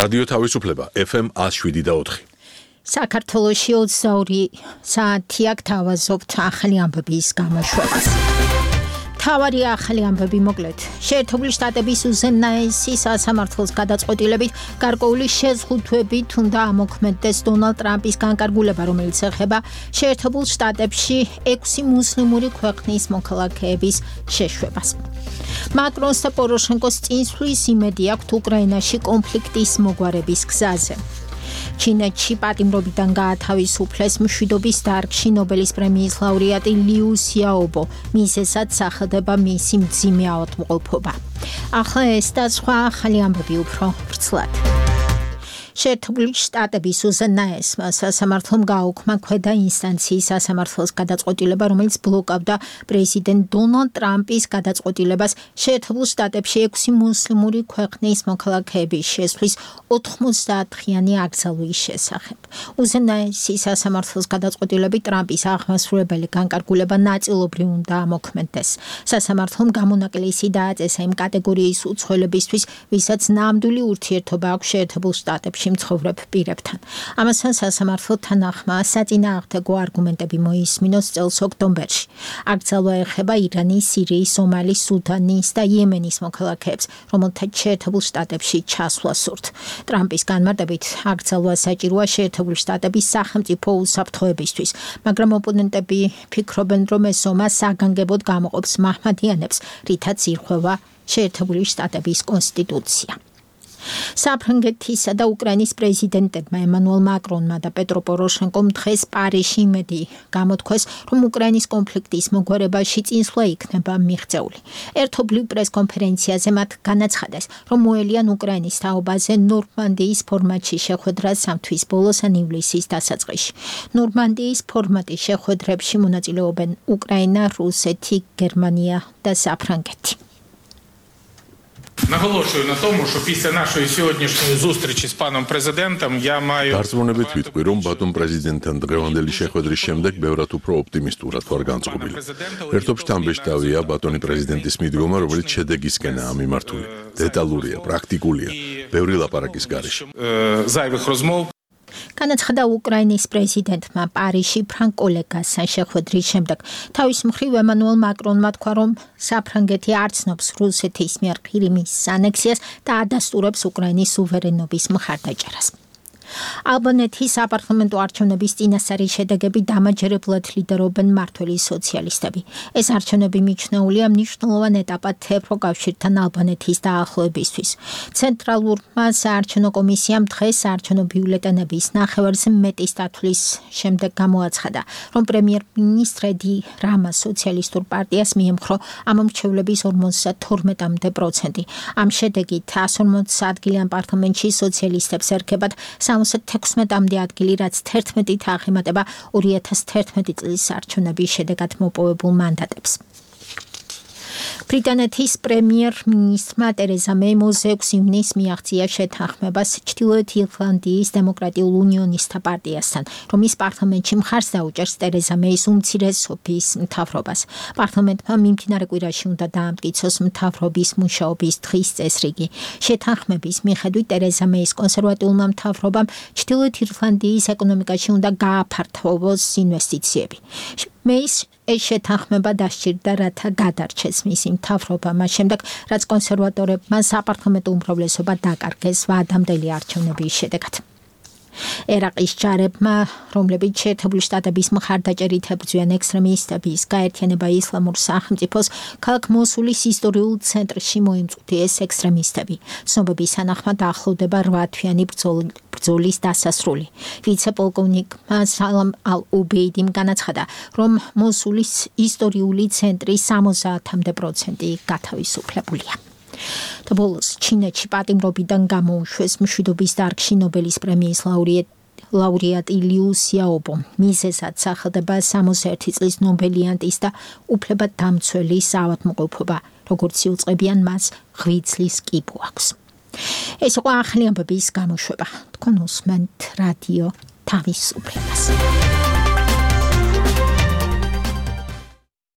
რადიო თავისუფლება FM 107.4. საქართველოში 22 საათი აქ თავაზობთ ახალი ამბების გამოშვებას. თავარი ახალი ამბები მოკლედ. შეერთებული შტატების უზენაესი სასამართლოს გადაწყვეტილებით გარკვეული შეზღუდვებით უნდა ამოქმედდეს დონალდ ტრამპის განკარგულება, რომელიც ეხება შეერთებულ შტატებში 6 მუსლიმური ქვეყნის მოქალაქეების შეშვებას. მაკრონს და პოროშენკოს წინსვლის იმედი აქვთ უკრაინაში კონფლიქტის მოგვარების გზაზე. ჩინეთში პატიმრობიდან გაათავისუფლეს მშვიდობის დარგში ნობელის პრემიის ლაურეატი ლიუ სიაობო, მისესაც სახელდება მისი მძიმე ავადმყოფობა. ახლა ეს და სხვა ახალი ამბები უფრო ვრცლად. შეერთებული შტატების უზენაესმა სასამართლომ გააუქმა ქვედა ინსტანციის სასამართლოს გადაწყვეტილება, რომელიც ბლოკავდა პრეზიდენტ დონალდ ტრამპის გადაწყვეტილებას შეერთებულ შტატებში 6 მუსლიმური ქვეყნის მოქალაქეების შესვლის 90-დღიანი აკრძალვის შესახებ. უზენაესი სასამართლოს გადაწყვეტილებით ტრამპის აღმასრულებელი განკარგულება ნაწილობრივ უნდა ამოქმედდეს. სასამართლომ გამონაკლისი დააწესა იმ კატეგორიის უცხოელებისთვის, ვისაც ნამდვილი ურთიერთობა აქვს შეერთებულ შტატებში მცხოვრებ პირებთან. ამასთან სასამართლო თანახმა საწინააღმდეგო არგუმენტები მოისმინოს წელს ოქტომბერში. აკრძალვა ეხება ირანის, სირიის, სომალის, სუდანის და იემენის მოქალაქეებს, რომელთაც შეერთებულ შტატებში ჩასვლა სურთ. ტრამპის განმარტებით აკრძალვა საჭიროა შეერთებული შტატების სახელმწიფო უსაფრთხოებისთვის, მაგრამ ოპონენტები ფიქრობენ, რომ ეს ომა საგანგებოდ გამოყოფს მაჰმადიანებს, რითაც ირღვევა შეერთებული შტატების კონსტიტუცია. საფრანგეთისა და უკრაინის პრეზიდენტებმა ემანუელ მაკრონმა და პეტრო პოროშენკომ დღეს პარიზში იმედი გამოთქვეს, რომ უკრაინის კონფლიქტის მოგვარებაში წინსვლა იქნება მიღწეული. ერთობლივ პრესკონფერენციაზე მათ განაცხადეს, რომ მოელიან უკრაინის თაობაზე ნორმანდიის ფორმატში შეხვედრა სამთვის ბოლოს ან ივლისის დასაწყისში. ნორმანდიის ფორმატის შეხვედრებში მონაწილეობენ უკრაინა, რუსეთი, გერმანია და საფრანგეთი. Наголошую на тому, що після нашої сьогоднішньої зустрічі з паном президентом я маю Გარწმუნებით ვიტყვი, რომ ბატონ პრეზიდენტთან დღევანდელი შეხვედრის შემდეგ ბევრად უფრო ოპტიმისტურად ვარ განწყობილი. ერთობ შთამბეჭდავია ბატონი პრეზიდენტის მიდგომა, რომელიც შედეგისკენაა მიმართული. დეტალურია, პრაქტიკულია, ბევრი ლაპარაკის გარეშე. Зайвих розмов განაცხადა უკრაინის პრეზიდენტმა პარიზში ფრანკ ოლეგასთან შეხვედრის შემდეგ. თავის მხრივ ემანუელ მაკრონმა თქვა, რომ საფრანგეთი არ ცნობს რუსეთის მიერ ყირიმის ანექსიას და ადასტურებს უკრაინის სუვერენობის მხარდაჭერას. ალბანეთის საპარლამენტო არჩევნების წინასწარი შედეგები დამაჯერებლად ლიდერობენ მმართველი სოციალისტები. ეს არჩევნები მიჩნეულია მნიშვნელოვან ეტაპად ევროკავშირთან ალბანეთის დაახლოებისთვის. ცენტრალურმა საარჩევნო კომისიამ დღეს საარჩევნო ბიულეტენების ნახევარზე მეტი სტათვლის შემდეგ გამოაცხადა, რომ პრემიერ-მინისტრ ედი რამა სოციალისტურ პარტიას მიემხრო ამ მრჩევლების 52%. ამ შედეგით 140 ადგილიან პარლამენტში სოციალისტებს ერგებათ 76 ადგილი, რაც 11-ით აღემატება 2011 წლის არჩევნების შედეგად მოპოვებულ მანდატებს. ბრიტანეთის პრემიერ-მინისტრმა ტერეზა მეი 26 ივნისს მიაღწია შეთანხმებას ჩრდილოეთ ირლანდიის დემოკრატიულ უნიონისტთა პარტიასთან, რომ ის პარლამენტში მხარს დაუჭერს ტერეზა მეის უმცირესობის მთავრობას. პარლამენტმა მიმდინარე კვირაში უნდა დაამტკიცოს მთავრობის მუშაობის დღის წესრიგი. შეთანხმების მიხედვით ტერეზა მეის კონსერვატიულმა მთავრობამ ჩრდილოეთ ირლანდიის ეკონომიკაში უნდა გააფართოვოს ინვესტიციები. მეის ეს შეთანხმება დასჭირდა, რათა გადარჩეს მისი მთავრობა მას შემდეგ, რაც კონსერვატორებმა საპარლამენტო უმრავლესობა დაკარგეს ვადამდელი არჩევნების შედეგად. ერაყის ჯარებმა, რომლებიც შეერთებული შტატების მხარდაჭერით ებრძვიან ექსტრემისტების გაერთიანება ისლამურ სახელმწიფოს, ქალაქ მოსულის ისტორიულ ცენტრში მოიმწყვდიეს ექსტრემისტები. ცნობების თანახმად ახლოვდება 8-თვიანი ბრძოლის დასასრული. ვიცე-პოლკოვნიკმა სალამ ალ-უბეიდიმ განაცხადა, რომ მოსულის ისტორიული ცენტრი 70% გათავისუფლებულია. და ბოლოს ჩინეთში პატიმრობიდან გამოუშვეს მშვიდობის დარგში ნობელის პრემიის ლაურეატი ლიუ სიაობო, მისესაც სახელდება 61 წლის ნობელიანტის და უფლებადამცველის ავადმყოფობა, როგორც იუწყებიან მას 7 წლის კიბო აქვს. ეს იყო ახალი ამბების გამოშვება. თქვენ უსმენთ რადიო თავისუფლებას.